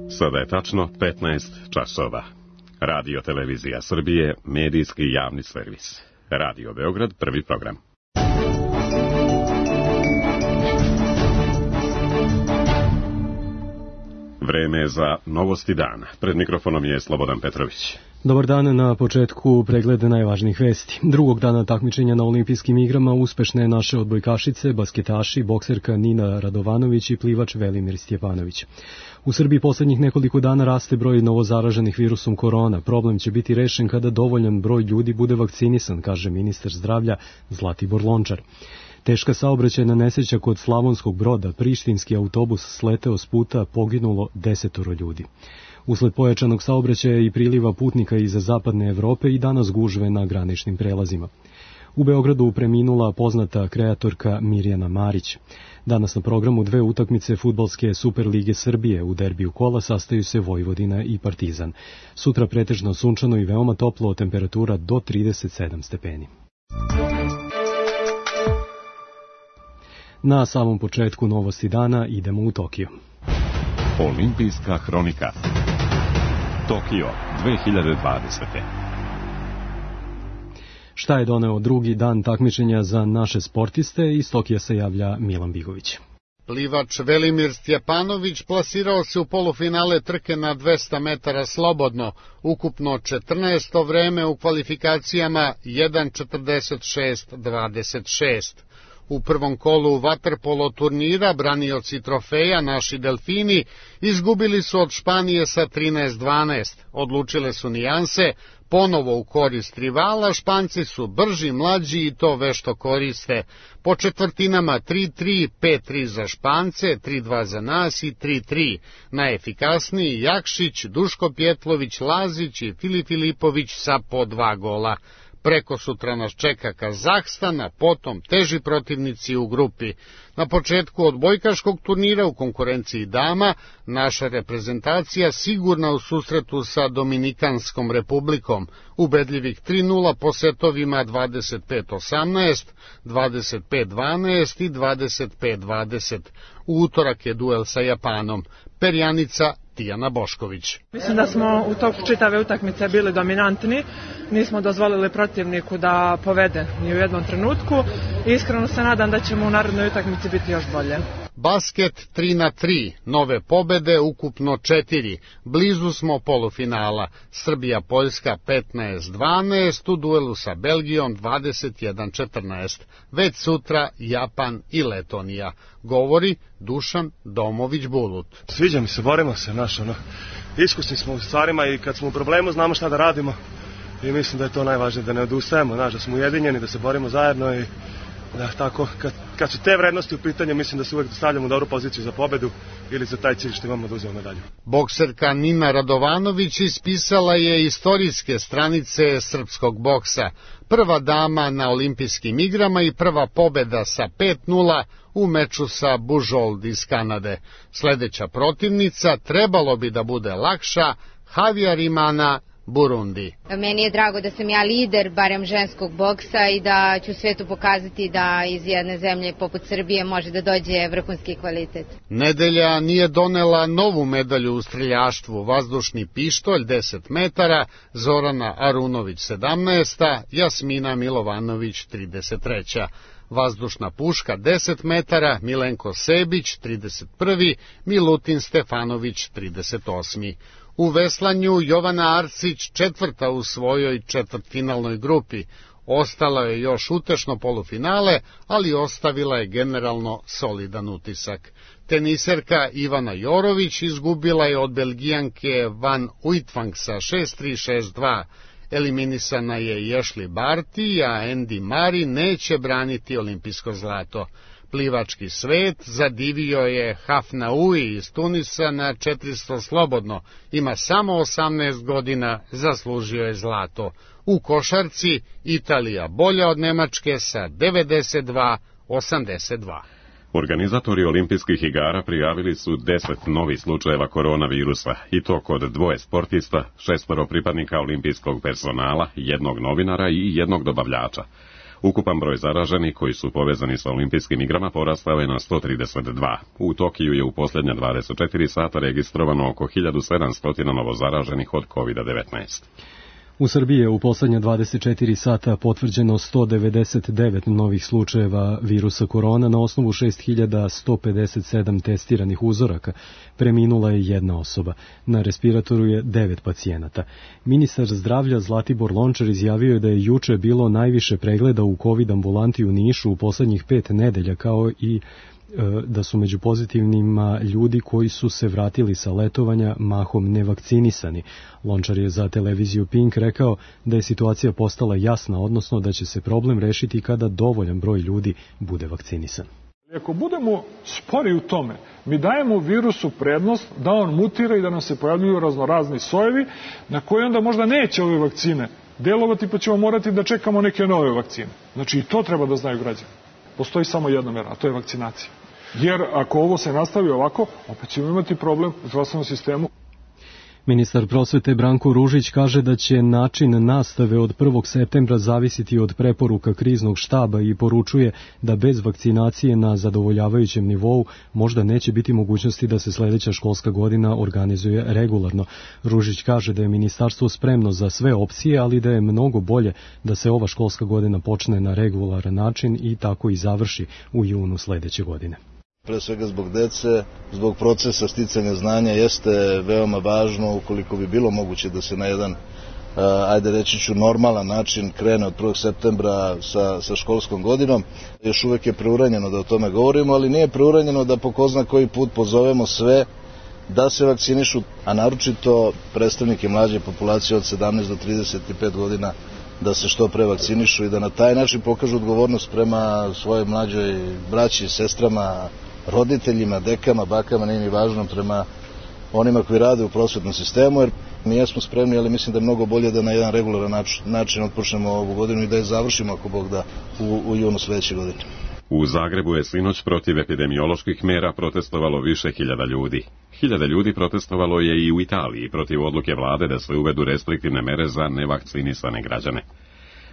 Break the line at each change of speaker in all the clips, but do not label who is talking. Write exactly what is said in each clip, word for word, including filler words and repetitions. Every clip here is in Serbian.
Sada je tačno petnaest časova. Radio Televizija Srbije, medijski javni servis. Radio Beograd, prvi program. Vreme je za novosti dana. Pred mikrofonom je Slobodan Petrović.
Dobar dan, na početku pregled najvažnijih vesti. Drugog dana takmičenja na olimpijskim igrama uspešne naše odbojkašice, basketaši, bokserka Nina Radovanović i plivač Velimir Stjepanović. U Srbiji poslednjih nekoliko dana raste broj novozaraženih virusom korona. Problem će biti rešen kada dovoljan broj ljudi bude vakcinisan, kaže ministar zdravlja Zlatibor Lončar. Teška saobraćajna nesreća kod Slavonskog Broda, prištinski autobus sleteo s puta, poginulo desetoro ljudi. Usled pojačanog saobraćaja i priliva putnika iz zapadne Evrope i danas gužve na graničnim prelazima. U Beogradu preminula poznata kreatorka Mirjana Marić. Danas na programu dve utakmice fudbalske Superlige Srbije. U derbiju kola sastaju se Vojvodina i Partizan. Sutra pretežno sunčano i veoma toplo, temperatura do trideset sedam stepeni. Na samom početku novosti dana idemo u Tokio.
Olimpijska hronika. Tokio dve hiljade dvadesete.
Šta je doneo drugi dan takmičenja za naše sportiste? Iz Tokija se javlja Milan Bigović.
Plivač Velimir Stjepanović plasirao se u polufinale trke na dvesta metara slobodno, ukupno četrnaesto vreme u kvalifikacijama jedan četrdeset šest dvadeset šest. U prvom kolu vaterpolo turnira branioci trofeja, naši delfini, izgubili su od Španije sa trinaest dvanaest. Odlučile su nijanse, ponovo u korist rivala, Španci su brži, mlađi i to vešto koriste. Po četvrtinama tri tri, pet tri za Špance, tri dva za nas i tri tri. Najefikasniji Jakšić, Duško Pjetlović, Lazić i Filip Filipović sa po dva gola. Preko sutra nas čeka Kazahstan, a potom teži protivnici u grupi. Na početku odbojkaškog turnira u konkurenciji dama, naša reprezentacija sigurna u susretu sa Dominikanskom republikom, ubedljivih tri nula po setovima dvadeset pet osamnaest, dvadeset pet dvanaest i dvadeset pet dvadeset. U utorak je duel sa Japanom. Perjanica Tijana Bošković.
Mislim da smo u toku čitave utakmice bili dominantni, nismo dozvolili protivniku da povede ni u jednom trenutku. Iskreno se nadam da ćemo u narednoj utakmici biti još bolje.
Basket tri na tri, nove pobede, ukupno četiri. Blizu smo polufinala. Srbija-Poljska petnaest dvanaest, u duelu sa Belgijom dvadeset jedan četrnaest. Već sutra Japan i Letonija. Govori Dušan Domović-Bulut.
Sviđa mi se, borimo se, naš, ono, iskusni smo u stvarima i kad smo u problemu znamo šta da radimo i mislim da je to najvažnije, da ne odustajemo, naš, da smo ujedinjeni, da se borimo zajedno i da tako, kad, kad su te vrednosti u pitanju, mislim da se uvek stavljamo u dobru poziciju za pobedu ili za taj cilj što imamo da uzmemo medalju.
Bokserka Nina Radovanović ispisala je istorijske stranice srpskog boksa. Prva dama na olimpijskim igrama i prva pobeda sa pet nula u meču sa Bujold iz Kanade. Sledeća protivnica trebalo bi da bude lakša, Havjarimana, Burundi.
Meni je drago da sam ja lider, barem ženskog boksa, i da ću svetu pokazati da iz jedne zemlje poput Srbije može da dođe vrhunski kvalitet.
Nedelja nije donela novu medalju u streljaštvu. Vazdušni pištolj deset metara, Zorana Arunović sedamnaest, Jasmina Milovanović trideset tri. Vazdušna puška deset metara, Milenko Sebić trideset jedan, Milutin Stefanović trideset osam. U veslanju Jovana Arsić četvrta u svojoj četvrtfinalnoj grupi. Ostala je još utešno polufinale, ali ostavila je generalno solidan utisak. Teniserka Ivana Jorović izgubila je od Belgijanke Van Uitvank sa šest tri šest dva. Eliminisana je i Ashley Barty, a Andy Murray neće braniti olimpijsko zlato. Plivački svet zadivio je Hafnaoui iz Tunisa na četiristo slobodno, ima samo osamnaest godina, zaslužio je zlato. U košarci Italija bolja od Nemačke sa devedeset dva osamdeset dva.
Organizatori olimpijskih igara prijavili su deset novih slučajeva koronavirusa, i to kod dvoje sportista, šestoro pripadnika olimpijskog personala, jednog novinara i jednog dobavljača. Ukupan broj zaraženih koji su povezani sa olimpijskim igrama porastao je na sto trideset dva. U Tokiju je u posljednja dvadeset četiri sata registrovano oko hiljadu sedamsto novo zaraženih od kovid devetnaest.
U Srbiji je u posljednja dvadeset četiri sata potvrđeno sto devedeset devet novih slučajeva virusa korona na osnovu šest hiljada sto pedeset sedam testiranih uzoraka. Preminula je jedna osoba. Na respiratoru je devet pacijenata. Ministar zdravlja Zlatibor Lončar izjavio je da je juče bilo najviše pregleda u COVID ambulanti u Nišu u poslednjih pet nedelja, kao i da su među pozitivnima ljudi koji su se vratili sa letovanja mahom nevakcinisani. Lončar je za televiziju Pink rekao da je situacija postala jasna, odnosno da će se problem rešiti kada dovoljan broj ljudi bude vakcinisan.
Ako budemo spori u tome, mi dajemo virusu prednost da on mutira i da nam se pojavljuju raznorazni sojevi na koje onda možda neće ove vakcine delovati, pa ćemo morati da čekamo neke nove vakcine. Znači i to treba da znaju građani. Postoji samo jedna mera, a to je vakcinacija. Jer ako ovo se nastavi ovako, opet ćemo imati problem u zdravstvenom sistemu.
Ministar prosvete Branko Ružić kaže da će način nastave od prvog septembra zavisiti od preporuka kriznog štaba i poručuje da bez vakcinacije na zadovoljavajućem nivou možda neće biti mogućnosti da se sledeća školska godina organizuje regularno. Ružić kaže da je ministarstvo spremno za sve opcije, ali da je mnogo bolje da se ova školska godina počne na regularan način i tako i završi u junu sledeće godine.
Pre svega zbog dece, zbog procesa sticanja znanja jeste veoma važno ukoliko bi bilo moguće da se na jedan, ajde reći ću, normalan način krene od prvog septembra sa, sa školskom godinom. Još uvek je preuranjeno da o tome govorimo, ali nije preuranjeno da po ko zna koji put pozovemo sve da se vakcinišu, a naročito predstavnike mlađe populacije od sedamnaest do trideset pet godina da se što pre vakcinišu i da na taj način pokažu odgovornost prema svojoj mlađoj braći, sestrama, roditeljima, dekama, bakama, nije mi važno, prema onima koji rade u prosvetnom sistemu, jer mi jesmo spremni, ali mislim da je mnogo bolje da na jedan regularan način otpočnemo ovu godinu i da je završimo, ako Bog da, u, u junu sledeće godine.
U Zagrebu je sinoć protiv epidemioloških mera protestovalo više hiljada ljudi. Hiljada ljudi protestovalo je i u Italiji protiv odluke vlade da se uvedu restriktivne mere za nevakcinisane građane.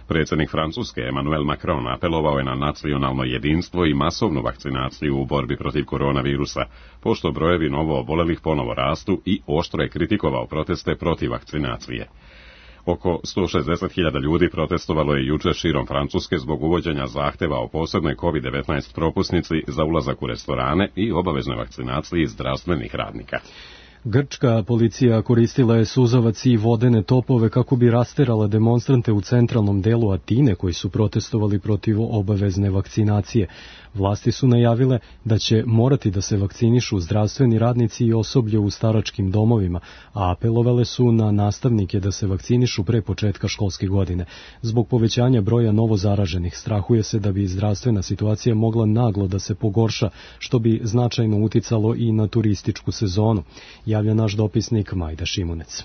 Predsjednik Francuske Emmanuel Macron apelovao je na nacionalno jedinstvo i masovnu vakcinaciju u borbi protiv koronavirusa, pošto brojevi novo obolelih ponovo rastu, i oštro je kritikovao proteste protiv vakcinacije. Oko sto šezdeset hiljada ljudi protestovalo je juče širom Francuske zbog uvođenja zahteva o posebnoj kovid devetnaest propusnici za ulazak u restorane i obaveznoj vakcinaciji zdravstvenih radnika.
Grčka policija koristila je suzavac i vodene topove kako bi rasterala demonstrante u centralnom delu Atine koji su protestovali protiv obavezne vakcinacije. Vlasti su najavile da će morati da se vakcinišu zdravstveni radnici i osoblje u staračkim domovima, a apelovale su na nastavnike da se vakcinišu pre početka školske godine. Zbog povećanja broja novozaraženih strahuje se da bi zdravstvena situacija mogla naglo da se pogorša, što bi značajno uticalo i na turističku sezonu, javlja naš dopisnik Majda Šimunec.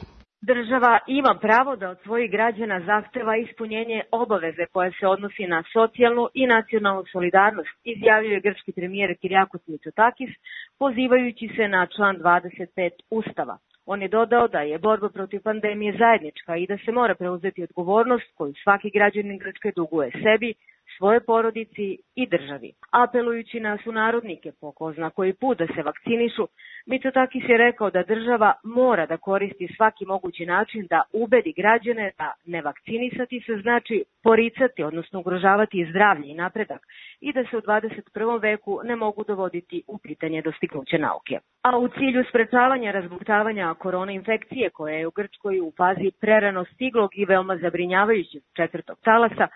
Država ima pravo da od svojih građana zahteva ispunjenje obaveze koja se odnosi na socijalnu i nacionalnu solidarnost, izjavio je grčki premijer Kyriakos Mitsotakis, pozivajući se na član dvadeset pet Ustava. On je dodao da je borba protiv pandemije zajednička i da se mora preuzeti odgovornost koju svaki građanin Grčke duguje sebi, svoje porodici i državi. Apelujući na sunarodnike po ko zna koji put da se vakcinišu, Mitsotakis je rekao da država mora da koristi svaki mogući način da ubedi građane da ne vakcinisati se znači poricati, odnosno ugrožavati zdravlje i napredak, i da se u dvadeset prvom veku ne mogu dovoditi u pitanje dostignuće nauke. A u cilju sprečavanja razbuktavanja korona infekcije, koja je u Grčkoj u fazi prerano stiglog i veoma zabrinjavajućeg četvrtog talasa,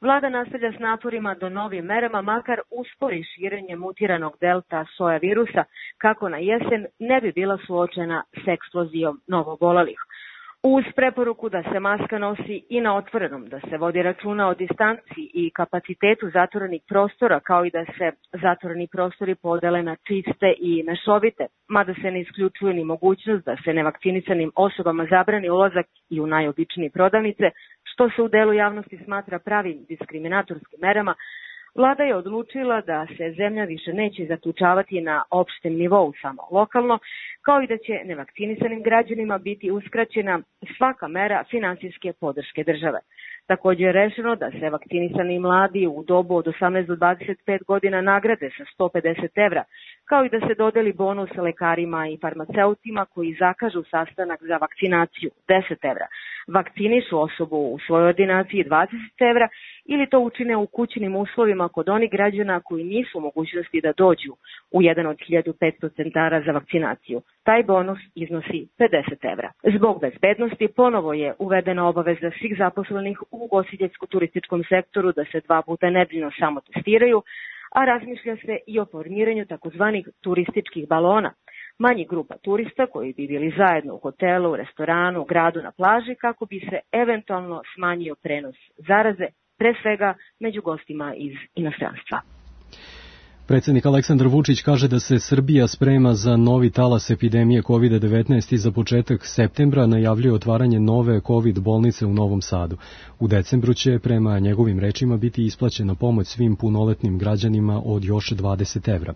vlada nastavlja s naporima do novim merama, makar uspori širenje mutiranog delta soja virusa, kako na jesen ne bi bila suočena s eksplozijom novoobolelih. Uz preporuku da se maska nosi i na otvorenom, da se vodi računa o distanciji i kapacitetu zatvorenih prostora, kao i da se zatvoreni prostori podele na čiste i mešovite, mada se ne isključuje ni mogućnost da se nevakcinisanim osobama zabrani ulazak i u najobičnije prodavnice, što se u delu javnosti smatra pravim diskriminatorskim merama, vlada je odlučila da se zemlja više neće zaključavati na opštem nivou, samo lokalno, kao i da će nevakcinisanim građanima biti uskraćena svaka mera finansijske podrške države. Također je rešeno da se vakcinisani mladi u dobu od osamnaest do dvadeset pet godina nagrade sa sto pedeset evra, kao i da se dodeli bonus lekarima i farmaceutima koji zakažu sastanak za vakcinaciju deset evra, vakcinišu osobu u svojoj ordinaciji dvadeset evra ili to učine u kućnim uslovima kod onih građana koji nisu u mogućnosti da dođu u jedan od hiljadu petsto centara za vakcinaciju. Taj bonus iznosi pedeset evra. Zbog bezbednosti ponovo je uvedena obaveza svih zaposlenih u ugostiteljsko-turističkom sektoru da se dva puta nedeljno samo testiraju, a razmišlja se i o formiranju takozvanih turističkih balona, manjih grupa turista koji bi bili zajedno u hotelu, restoranu, gradu, na plaži kako bi se eventualno smanjio prenos zaraze, pre svega među gostima iz inostranstva.
Predsjednik Aleksandar Vučić kaže da se Srbija sprema za novi talas epidemije kovid devetnaest i za početak septembra najavljuje otvaranje nove COVID bolnice u Novom Sadu. U decembru će, prema njegovim rečima, biti isplaćena pomoć svim punoletnim građanima od još dvadeset evra.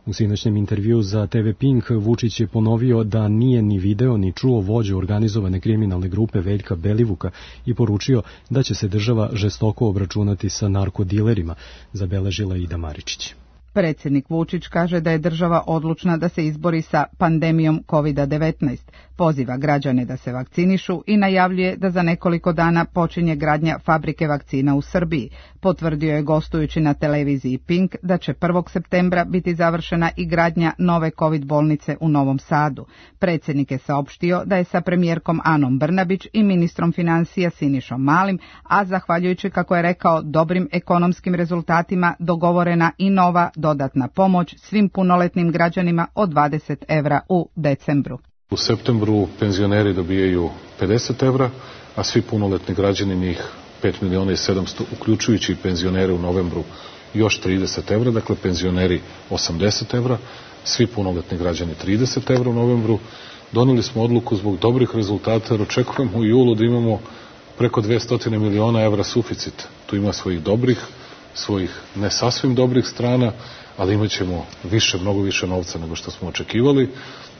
U sinoćnem intervju za te ve Pink Vučić je ponovio da nije ni video ni čuo vođu organizovane kriminalne grupe Veljka Belivuka i poručio da će se država žestoko obračunati sa narkodilerima, zabeležila Ida Maričić.
Predsjednik Vučić kaže da je država odlučna da se izbori sa pandemijom kovid devetnaest, poziva građane da se vakcinišu i najavljuje da za nekoliko dana počinje gradnja fabrike vakcina u Srbiji. Potvrdio je gostujući na televiziji Pink da će prvog septembra biti završena i gradnja nove COVID bolnice u Novom Sadu. Predsjednik je saopštio da je sa premijerkom Anom Brnabić i ministrom financija Sinišom Malim, a zahvaljujući, kako je rekao, dobrim ekonomskim rezultatima dogovorena i nova dodatna pomoć svim punoletnim građanima od dvadeset evra u decembru.
U septembru penzioneri dobijaju pedeset evra, a svi punoletni građani, njih pet miliona i sedamsto, uključujući penzionere u novembru, još trideset evra, dakle penzioneri osamdeset evra, svi punoletni građani trideset evra u novembru. Donijeli smo odluku zbog dobrih rezultata, jer očekujemo u julu da imamo preko dvesta miliona evra suficit. Tu ima svojih dobrih, svojih ne sasvim dobrih strana, ali imat ćemo više, mnogo više novca nego što smo očekivali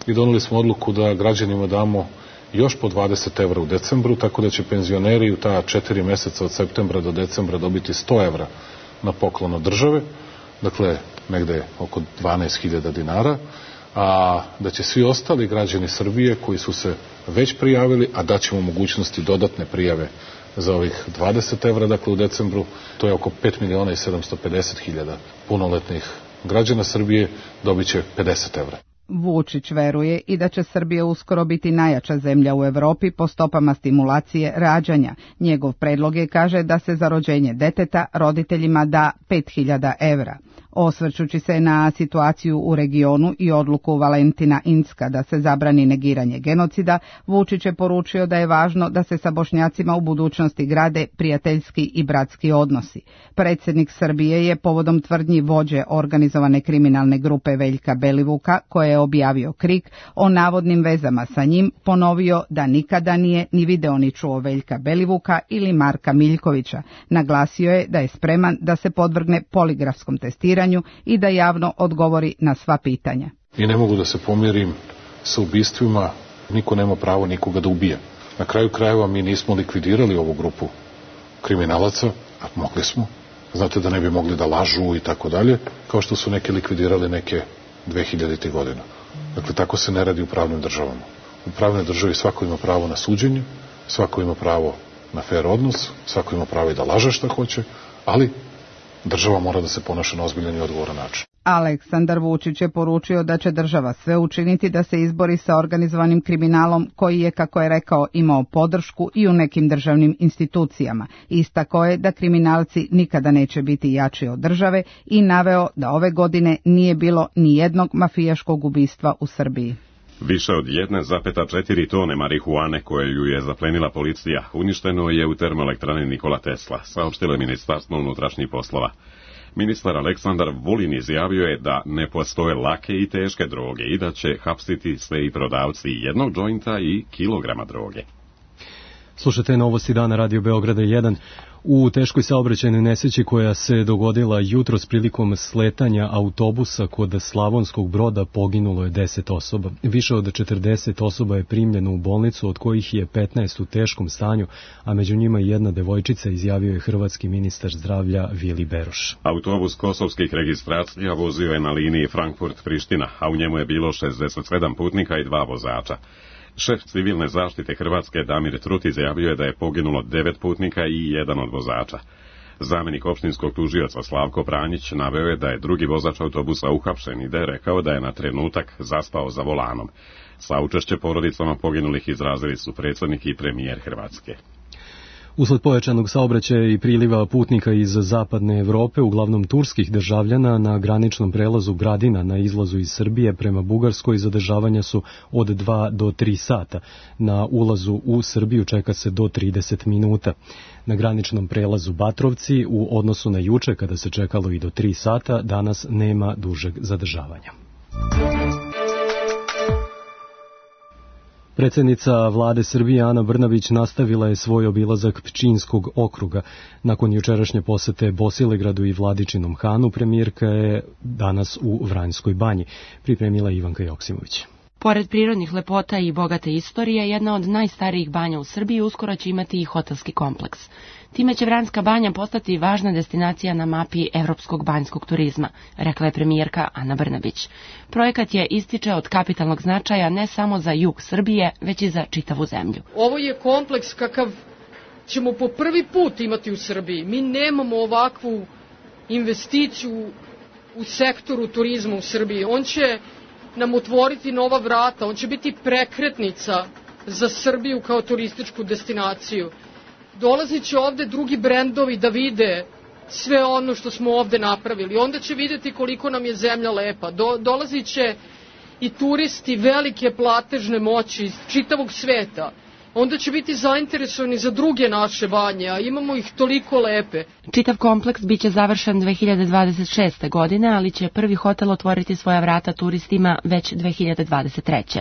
i donijeli smo odluku da građanima damo još po dvadeset evra u decembru, tako da će penzioneri u ta četiri meseca od septembra do decembra dobiti sto evra na poklon od države, dakle negde oko dvanaest hiljada dinara, a da će svi ostali građani Srbije koji su se već prijavili, a daćemo mogućnosti dodatne prijave za ovih dvadeset evra, dakle u decembru, to je oko pet miliona i sedamsto pedeset hiljada punoletnih građana Srbije, dobit će pedeset evra.
Vučić veruje i da će Srbija uskoro biti najjača zemlja u Evropi po stopama stimulacije rađanja. Njegov predlog je, kaže, da se za rođenje deteta roditeljima da pet hiljada evra. Osvrćući se na situaciju u regionu i odluku Valentina Incka da se zabrani negiranje genocida, Vučić je poručio da je važno da se sa Bošnjacima u budućnosti grade prijateljski i bratski odnosi. Predsjednik Srbije je povodom tvrdnji vođe organizovane kriminalne grupe Veljka Belivuka, koje je objavio Krik o navodnim vezama sa njim, ponovio da nikada nije ni video ni čuo Veljka Belivuka ili Marka Miljkovića. Naglasio je da je spreman da se podvrgne poligrafskom testiranju i da javno odgovori na sva pitanja.
I ne mogu da se pomirim sa ubistvima, niko nema pravo nikoga da ubije. Na kraju krajeva mi nismo likvidirali ovu grupu kriminalaca, a mogli smo. Znate da ne bi mogli da lažu i tako dalje, kao što su neki likvidirali neke dve hiljadite godina. Dakle, tako se ne radi u pravnim državama. U pravnoj državi svako ima pravo na suđenje, svako ima pravo na fair odnos, svako ima pravo i da laže šta hoće, ali država mora da se ponaša na ozbiljan i odgovoran način.
Aleksandar Vučić je poručio da će država sve učiniti da se izbori sa organizovanim kriminalom koji je, kako je rekao, imao podršku i u nekim državnim institucijama. Istako je da kriminalci nikada neće biti jači od države i naveo da ove godine nije bilo ni jednog mafijaškog ubistva u Srbiji.
Više od jedna zarez četiri tone marihuane koje ju je zaplenila policija uništeno je u termoelektrani Nikola Tesla, saopštilo je Ministarstvo unutrašnjih poslova. Ministar Aleksandar Vulin izjavio je da ne postoje lake i teške droge i da će hapsiti sve i prodavci jednog džointa i kilograma droge.
Slušajte novosti dana Radio Beograda jedan. U teškoj saobraćajnoj nesreći koja se dogodila jutros prilikom sletanja autobusa kod Slavonskog Broda poginulo je deset osoba. Više od četrdeset osoba je primljeno u bolnicu, od kojih je petnaest u teškom stanju, a među njima i jedna devojčica, izjavio je hrvatski ministar zdravlja Vili Beroš.
Autobus kosovskih registracija vozio je na liniji Frankfurt-Priština, a u njemu je bilo šezdeset sedam putnika i dva vozača. Šef civilne zaštite Hrvatske Damir Trut izjavio je da je poginulo devet putnika i jedan od vozača. Zamenik opštinskog tužioca Slavko Pranjić naveo je da je drugi vozač autobusa uhapšen i da je rekao da je na trenutak zaspao za volanom. Saučešće porodicama poginulih izrazili su predsjednik i premijer Hrvatske.
Usled pojačanog saobraćaja i priliva putnika iz zapadne Evrope, uglavnom turskih državljana, na graničnom prelazu Gradina na izlazu iz Srbije prema Bugarskoj zadržavanja su od dva do tri sata. Na ulazu u Srbiju čeka se do trideset minuta. Na graničnom prelazu Batrovci, u odnosu na juče kada se čekalo i do tri sata, danas nema dužeg zadržavanja. Predsjednica vlade Srbije Ana Brnabić nastavila je svoj obilazak Pčinjskog okruga. Nakon jučerašnje posete Bosilegradu i Vladičinom Hanu, premijerka je danas u Vranjskoj banji, pripremila Ivanka Joksimović.
Pored prirodnih lepota i bogate istorije, jedna od najstarijih banja u Srbiji uskoro će imati i hotelski kompleks. Time će Vranjska banja postati važna destinacija na mapi evropskog banjskog turizma, rekla je premijerka Ana Brnabić. Projekat je, ističe, od kapitalnog značaja ne samo za jug Srbije, već i za čitavu zemlju.
Ovo je kompleks kakav ćemo po prvi put imati u Srbiji. Mi nemamo ovakvu investiciju u sektoru turizma u Srbiji. On će nam otvoriti nova vrata, on će biti prekretnica za Srbiju kao turističku destinaciju. Dolazit će ovde drugi brendovi da vide sve ono što smo ovde napravili. Onda će vidjeti koliko nam je zemlja lepa. Do, dolazit će i turisti velike platežne moći iz čitavog sveta. Onda će biti zainteresovani za druge naše banje, a imamo ih toliko lepe.
Čitav kompleks biće završen dve hiljade dvadeset šeste. godine, ali će prvi hotel otvoriti svoja vrata turistima već dve hiljade dvadeset treće.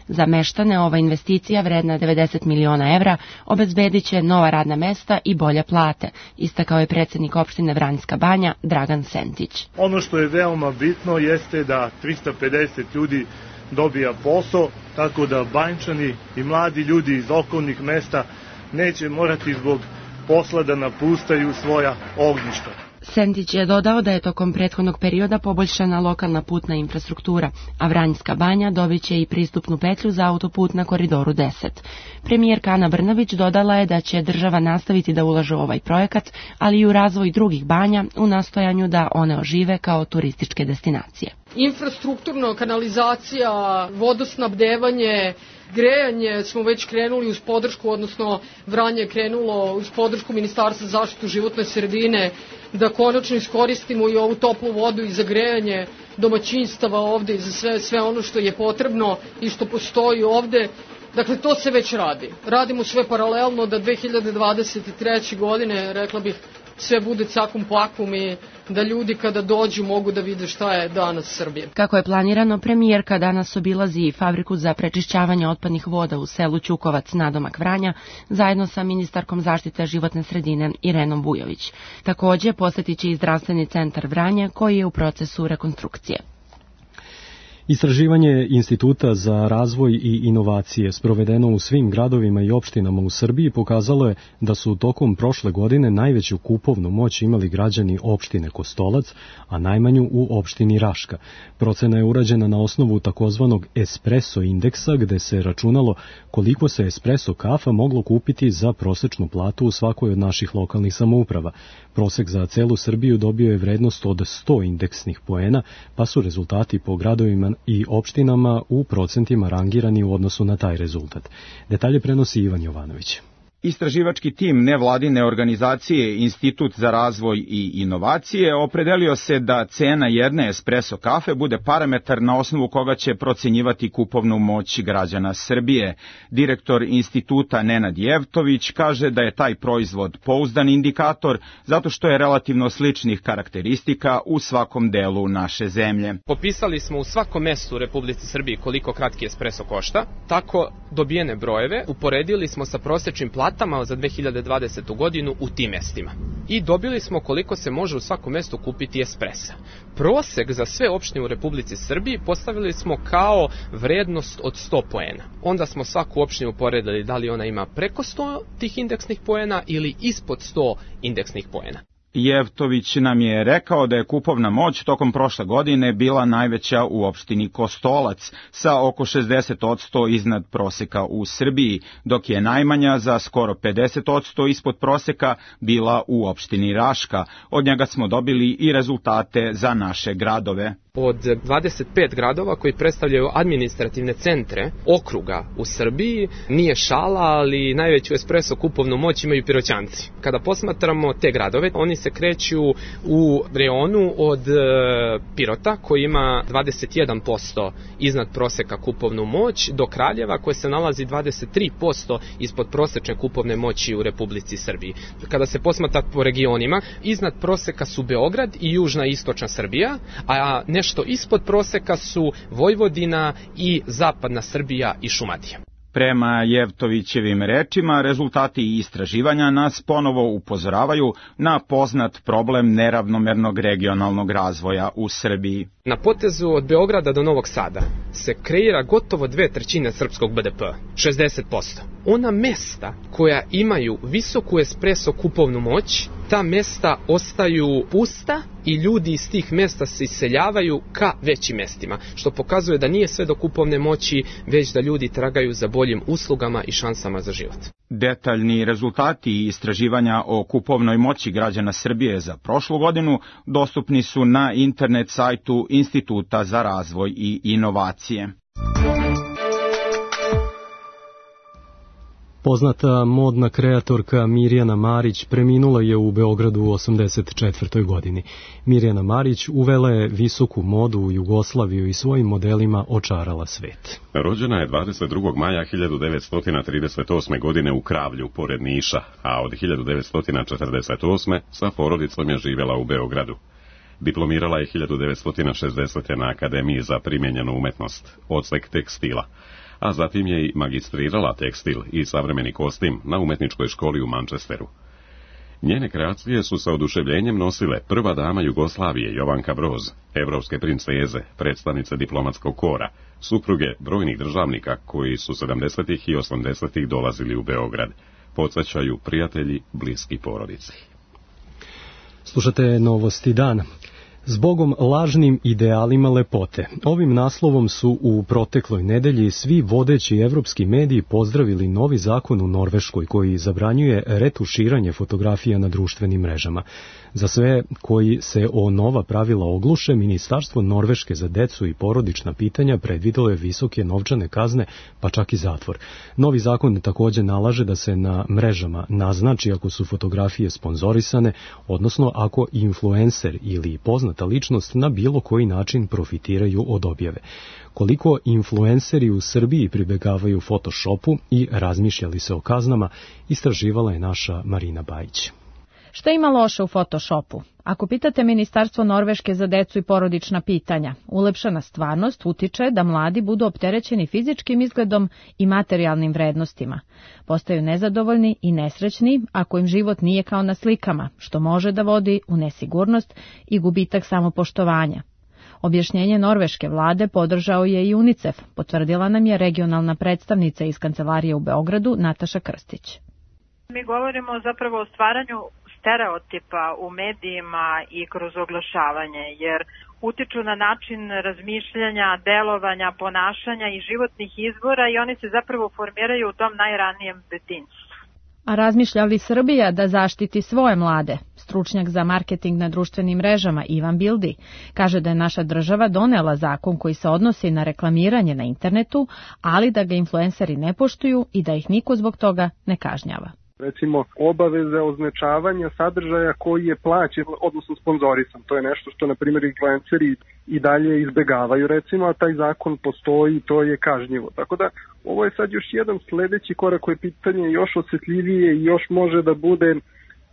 Za meštane ova investicija vredna devedeset miliona evra obezbedit će nova radna mesta i bolje plate, istakao je predsjednik opštine Vranjska banja Dragan Sentić.
Ono što je veoma bitno jeste da trista pedeset ljudi dobija posao, tako da Banjčani i mladi ljudi iz okolnih mesta neće morati zbog posla da napuštaju svoja ognjišta.
Sentić je dodao da je tokom prethodnog perioda poboljšana lokalna putna infrastruktura, a Vranjska banja dobit će i pristupnu petlju za autoput na koridoru deset. Premijerka Ana Brnabić dodala je da će država nastaviti da ulaže u ovaj projekat, ali i u razvoj drugih banja u nastojanju da one ožive kao turističke destinacije.
Infrastrukturno, kanalizacija, vodosnabdevanje, grejanje smo već krenuli uz podršku, odnosno Vranje je krenulo uz podršku Ministarstva za zaštitu životne sredine, da konačno iskoristimo i ovu toplu vodu i za grejanje domaćinstava ovde i za sve, sve ono što je potrebno i što postoji ovde. Dakle, to se već radi. Radimo sve paralelno da dve hiljade dvadeset treće. godine, rekla bih, sve bude cakum pakum i da ljudi kada dođu mogu da vide šta je danas Srbija.
Kako je planirano, premijerka danas obilazi i fabriku za prečišćavanje otpadnih voda u selu Ćukovac nadomak Vranja, zajedno sa ministarkom zaštite životne sredine Irenom Vujović. Takođe, posjetit će i zdravstveni centar Vranje, koji je u procesu rekonstrukcije.
Istraživanje Instituta za razvoj i inovacije sprovedeno u svim gradovima i opštinama u Srbiji pokazalo je da su tokom prošle godine najveću kupovnu moć imali građani opštine Kostolac, a najmanju u opštini Raška. Procena je urađena na osnovu takozvanog espresso indeksa, gde se računalo koliko se espresso kafa moglo kupiti za prosečnu platu u svakoj od naših lokalnih samouprava. Prosek za celu Srbiju dobio je vrednost od sto indeksnih poena, pa su rezultati po gradovima i opštinama u procentima rangirani u odnosu na taj rezultat. Detalje prenosi Ivan Jovanović.
Istraživački tim nevladine organizacije Institut za razvoj i inovacije opredelio se da cena jedne espresso kafe bude parametar na osnovu koga će procenjivati kupovnu moć građana Srbije. Direktor instituta Nenad Jevtović kaže da je taj proizvod pouzdan indikator zato što je relativno sličnih karakteristika u svakom delu naše zemlje.
Popisali smo u svakom mestu u Republici Srbiji koliko kratki espresso košta, tako dobijene brojeve uporedili smo sa prosečnim platom platama za dve hiljade dvadesetu godinu u tim mestima. I dobili smo koliko se može u svakom mestu kupiti espresa. Prosek za sve opštine u Republici Srbiji postavili smo kao vrednost od sto poena. Onda smo svaku opštinu poredili da li ona ima preko sto tih indeksnih poena ili ispod sto indeksnih poena.
Jevtović nam je rekao da je kupovna moć tokom prošle godine bila najveća u opštini Kostolac, sa oko šezdeset posto iznad proseka u Srbiji, dok je najmanja za skoro pedeset posto ispod proseka bila u opštini Raška. Od njega smo dobili i rezultate za naše gradove.
Od dvadeset pet gradova koji predstavljaju administrativne centre okruga u Srbiji, nije šala, ali najveću espresso kupovnu moć imaju Piroćanci. Kada posmatramo te gradove, oni se kreću u reonu od Pirota, koji ima dvadeset jedan posto iznad proseka kupovnu moć, do Kraljeva, koje se nalazi dvadeset tri posto ispod prosečne kupovne moći u Republici Srbiji. Kada se posmatra po regionima, iznad proseka su Beograd i južna i istočna Srbija, a nešto ispod proseka su Vojvodina i zapadna Srbija i Šumadija.
Prema Jevtovićevim rečima, rezultati istraživanja nas ponovo upozoravaju na poznat problem neravnomernog regionalnog razvoja u Srbiji.
Na potezu od Beograda do Novog Sada se kreira gotovo dve trećine srpskog be de pe, šezdeset posto. Ona mesta koja imaju visoku espresso kupovnu moć, ta mesta ostaju pusta i ljudi iz tih mesta se iseljavaju ka većim mestima, što pokazuje da nije sve do kupovne moći, već da ljudi tragaju za boljim uslugama i šansama za život.
Detaljni rezultati istraživanja o kupovnoj moći građana Srbije za prošlu godinu dostupni su na internet sajtu Instituta za razvoj i inovacije.
Poznata modna kreatorka Mirjana Marić preminula je u Beogradu u osamdeset četvrtoj godini. Mirjana Marić uvela je visoku modu u Jugoslaviju i svojim modelima očarala svet.
Rođena je dvadeset drugog maja hiljadu devetsto trideset osme. godine u Kravlju, pored Niša, a od hiljadu devetsto četrdeset osme. sa porodicom je živjela u Beogradu. Diplomirala je hiljadu devetsto šezdesete. na Akademiji za primijenjenu umetnost, odsek tekstila, a zatim je i magistrirala tekstil i savremeni kostim na umetničkoj školi u Manchesteru. Njene kreacije su sa oduševljenjem nosile prva dama Jugoslavije Jovanka Broz, evropske princeze, predstavnice diplomatskog kora, supruge brojnih državnika koji su sedamdesetih i osamdesetih dolazili u Beograd, podsjećaju prijatelji bliski porodici.
Slušate Novosti dana. Zbogom lažnim idealima lepote. Ovim naslovom su u protekloj nedelji svi vodeći evropski mediji pozdravili novi zakon u Norveškoj koji zabranjuje retuširanje fotografija na društvenim mrežama. Za sve koji se o nova pravila ogluše, Ministarstvo Norveške za decu i porodična pitanja predvidelo je visoke novčane kazne, pa čak i zatvor. Novi zakon također nalaže da se na mrežama naznači ako su fotografije sponzorisane, odnosno ako influencer ili poznata ličnost na bilo koji način profitiraju od objave. Koliko influenceri u Srbiji pribegavaju Photoshopu i razmišljali se o kaznama, istraživala je naša Marina Bajić.
Šta ima loše u Photoshopu? Ako pitate Ministarstvo Norveške za decu i porodična pitanja, ulepšana stvarnost utiče da mladi budu opterećeni fizičkim izgledom i materijalnim vrednostima. Postaju nezadovoljni i nesrećni ako im život nije kao na slikama, što može da vodi u nesigurnost i gubitak samopoštovanja. Objašnjenje norveške vlade podržao je i UNICEF, potvrdila nam je regionalna predstavnica iz kancelarije u Beogradu Nataša Krstić.
Mi govorimo zapravo o stvaranju stereotipa u medijima i kroz oglašavanje, jer utiču na način razmišljanja, delovanja, ponašanja i životnih izbora i oni se zapravo formiraju u tom najranijem detinjstvu.
A razmišlja li Srbija da zaštiti svoje mlade? Stručnjak za marketing na društvenim mrežama Ivan Bildi kaže da je naša država donela zakon koji se odnosi na reklamiranje na internetu, ali da ga influenceri ne poštuju i da ih niko zbog toga ne kažnjava.
Recimo, obaveze označavanja sadržaja koji je plaćen, odnosno sponzorisan. To je nešto što, na primjer, influenceri i dalje izbegavaju, recimo, a taj zakon postoji i to je kažnjivo. Tako da, ovo je sad još jedan sledeći korak koji je pitanje još osjetljivije i još može da bude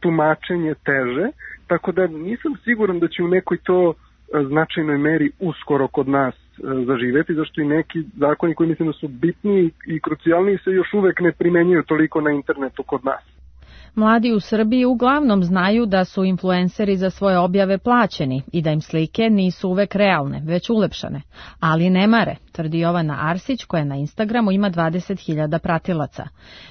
tumačenje teže, tako da nisam siguran da će u nekoj to značajnoj meri uskoro kod nas zaživeti, zašto i neki zakoni koji mislim da su bitni i krucijalni se još uvek ne primenjuju toliko na internetu kod nas.
Mladi u Srbiji uglavnom znaju da su influenceri za svoje objave plaćeni i da im slike nisu uvek realne, već ulepšane. Ali ne mare, tvrdi Jovana Arsić, koja na Instagramu ima dvadeset hiljada pratilaca.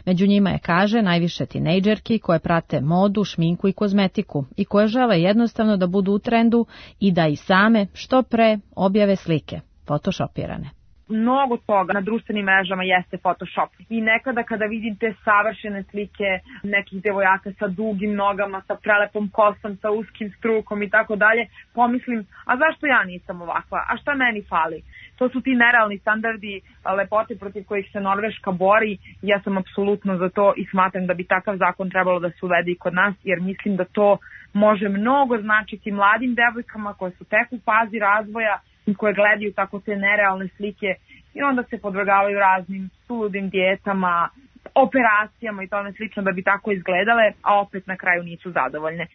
Među njima je, kaže, najviše tinejdžerki koje prate modu, šminku i kozmetiku i koje žele jednostavno da budu u trendu i da i same što pre objave slike, photoshopirane.
Mnogo toga na društvenim mrežama jeste Photoshop. I nekada kada vidim te savršene slike nekih devojaka sa dugim nogama, sa prelepom kosom, sa uskim strukom i tako dalje, pomislim, a zašto ja nisam ovakva? A šta meni fali? To su ti nerealni standardi lepote protiv kojih se Norveška bori. Ja sam apsolutno za to i smatram da bi takav zakon trebalo da se uvede i kod nas, jer mislim da to može mnogo značiti mladim devojkama koje su tek u fazi razvoja i koje gledaju tako te nerealne slike i onda se podvrgavaju raznim suludim dijetama, operacijama i tome slično da bi tako izgledale, a opet na kraju nisu zadovoljne.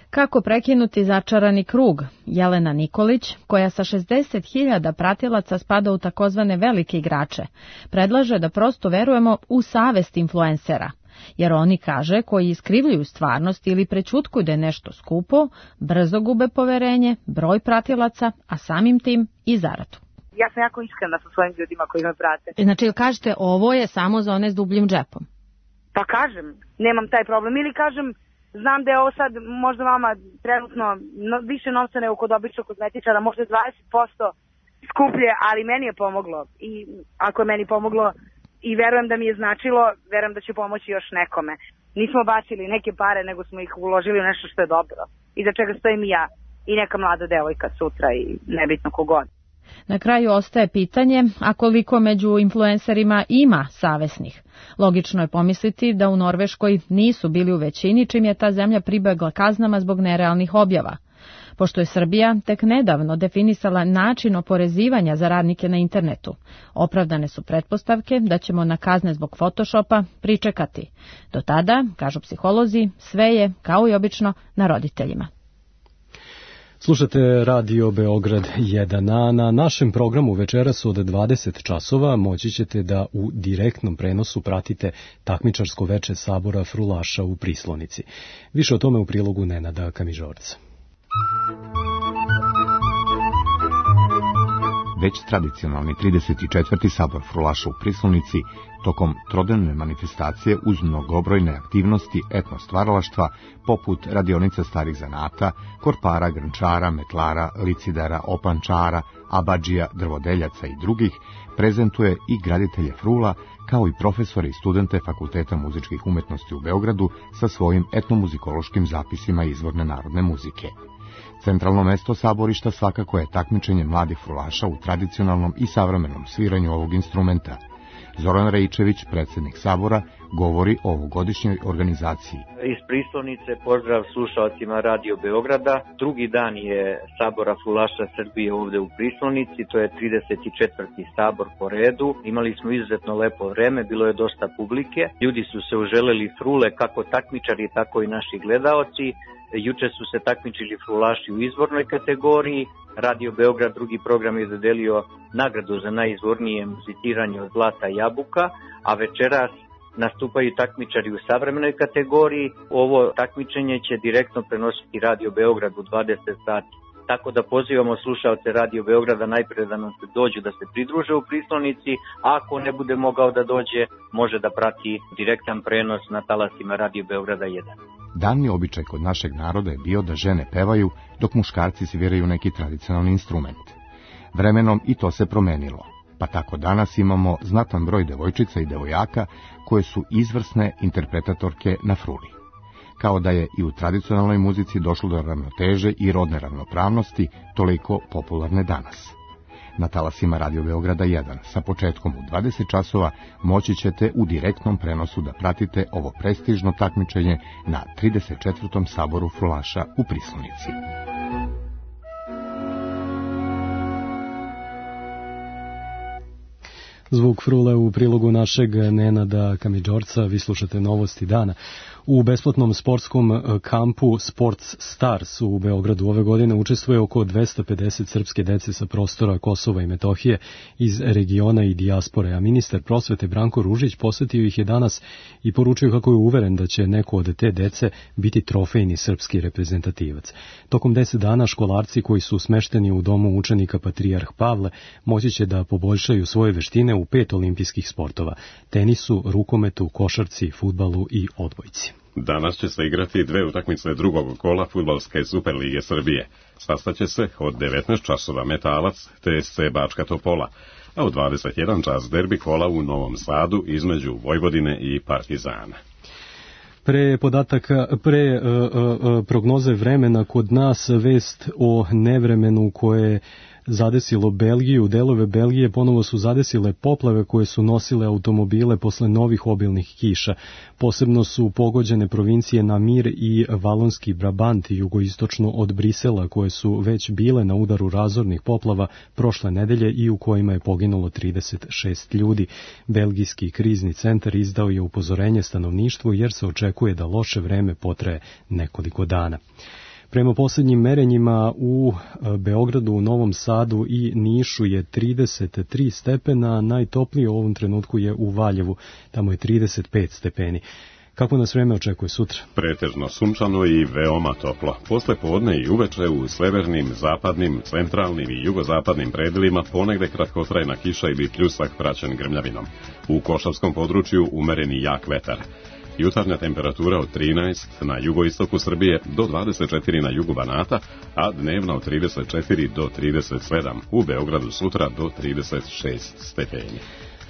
Kako prekinuti začarani krug? Jelena Nikolić, koja sa šezdeset hiljada pratilaca spada u takozvane velike igrače, predlaže da prosto verujemo u savest influencera. Jer oni, kaže, koji iskrivljuju stvarnost ili prećutkuju da je nešto skupo, brzo gube poverenje, broj pratilaca, a samim tim i zaradu.
Ja sam jako iskrena sa svojim ljudima koji me prate.
Znači, kažete, ovo je samo za one s dubljim džepom?
Pa kažem, nemam taj problem. Ili kažem, znam da je ovo sad možda vama trenutno no, više novca nego kod običnog kozmetičara, možda dvadeset posto skuplje, ali meni je pomoglo. I ako je meni pomoglo, i verujem da mi je značilo, verujem da će pomoći još nekome. Nismo bacili neke pare, nego smo ih uložili u nešto što je dobro. I za čega stojim i ja i neka mlada devojka sutra i nebitno kogod.
Na kraju ostaje pitanje, a koliko među influencerima ima savesnih. Logično je pomisliti da u Norveškoj nisu bili u većini, čim je ta zemlja pribegla kaznama zbog nerealnih objava. Pošto je Srbija tek nedavno definisala način oporezivanja za radnike na internetu, opravdane su pretpostavke da ćemo na kazne zbog Photoshopa pričekati. Do tada, kažu psiholozi, sve je, kao i obično, na roditeljima.
Slušate Radio Beograd jedan, a na našem programu večeras od dvadeset časova moći ćete da u direktnom prenosu pratite takmičarsko veče sabora Frulaša u Prislonici. Više o tome u prilogu Nenada Kamižorca.
Već tradicionalni trideset četvrti sabor Frulaša u Prislonici tokom trodnevne manifestacije uz mnogobrojne aktivnosti etno-stvaralaštva poput radionica starih zanata, korpara, grnčara, metlara, licidara, opančara, abadžija, drvodeljaca i drugih, prezentuje i graditelje frula, kao i profesore i studente Fakulteta muzičkih umetnosti u Beogradu sa svojim etnomuzikološkim zapisima izvorne narodne muzike. Centralno mesto saborišta svakako je takmičenje mladih frulaša u tradicionalnom i savremenom sviranju ovog instrumenta. Zoran Rejčević, predsjednik sabora, govori o ovogodišnjoj organizaciji.
Iz Prislonice pozdrav slušalcima Radio Beograda. Drugi dan je sabora frulaša Srbije ovde u Prislonici, to je trideset četvrti sabor po redu. Imali smo izuzetno lepo vreme, bilo je dosta publike. Ljudi su se uželeli frule, kako takmičari, tako i naši gledaoci. Juče su se takmičili frulaši u izvornoj kategoriji. Radio Beograd drugi program je dodelio nagradu za najizvornije muziciranje od Zlata Jabuka, a večeras nastupaju takmičari u savremenoj kategoriji. Ovo takmičenje će direktno prenositi Radio Beograd u dvadeset sati. Tako da pozivamo slušalce Radio Beograda najpre da nam se dođu da se pridruže u Prislonici, a ako ne bude mogao da dođe, može da prati direktan prenos na talasima Radio Beograda jedan.
Davni običaj kod našeg naroda je bio da žene pevaju, dok muškarci sviraju neki tradicionalni instrument. Vremenom i to se promenilo, pa tako danas imamo znatan broj devojčica i devojaka koje su izvrsne interpretatorke na fruli. Kao da je i u tradicionalnoj muzici došlo do ravnoteže i rodne ravnopravnosti, toliko popularne danas. Na talasima Radio Beograda jedan, sa početkom u dvadeset časova, moći ćete u direktnom prenosu da pratite ovo prestižno takmičenje na trideset četvrtom saboru frulaša u Prislonici.
Zvuk frule u prilogu našeg Nenada Kamiđorca, vi slušate Novosti dana. U besplatnom sportskom kampu Sports Stars u Beogradu ove godine učestvuje oko dvesta pedeset srpske dece sa prostora Kosova i Metohije iz regiona i dijaspore, a ministar prosvete Branko Ružić posetio ih je danas i poručio kako je uveren da će neko od te dece biti trofejni srpski reprezentativac. Tokom deset dana školarci koji su smešteni u domu učenika Patrijarh Pavle moći će da poboljšaju svoje veštine u pet olimpijskih sportova: tenisu, rukometu, košarci, fudbalu i odbojci.
Danas će se igrati dve utakmice drugog kola Fudbalske Superlige Srbije. Sastaće se od devetnaest časova Metalac T S C Bačka Topola, a u dvadeset jedan čas derbi kola u Novom Sadu između Vojvodine i Partizana.
Pre podataka, pre uh, uh, prognoze vremena kod nas vest o nevremenu koje zadesilo Belgiju. Delove Belgije ponovo su zadesile poplave koje su nosile automobile posle novih obilnih kiša. Posebno su pogođene provincije Namir i Valonski Brabant, jugoistočno od Brisela, koje su već bile na udaru razornih poplava prošle nedelje i u kojima je poginulo trideset šest ljudi. Belgijski krizni centar izdao je upozorenje stanovništvu jer se očekuje da loše vreme potraje nekoliko dana. Prema posljednjim merenjima u Beogradu, u Novom Sadu i Nišu je trideset tri stepena, najtoplije u ovom trenutku je u Valjevu, tamo je trideset pet stepeni. Kako nas vreme očekuje sutra?
Pretežno sunčano i veoma toplo. Posle podne i uveče u severnim, zapadnim, centralnim i jugozapadnim predelima ponegde kratkotrajna kiša ili pljusak praćen grmljavinom. U Košavskom području umereni jak vetar. Jutarnja temperatura od trinaest na jugoistoku Srbije do dvadeset četiri na jugu Banata, a dnevna od trideset četiri do trideset sedam. U Beogradu sutra do trideset šest stepeni.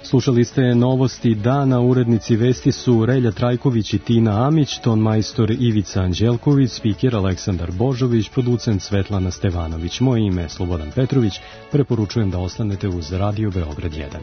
Slušali ste novosti dana, urednici vesti su Relja Trajković i Tina Amić, ton majstor Ivica Anđelković, spiker Aleksandar Božović, producent Svetlana Stevanović. Moje ime je Slobodan Petrović, preporučujem da ostanete uz Radio Beograd jedan.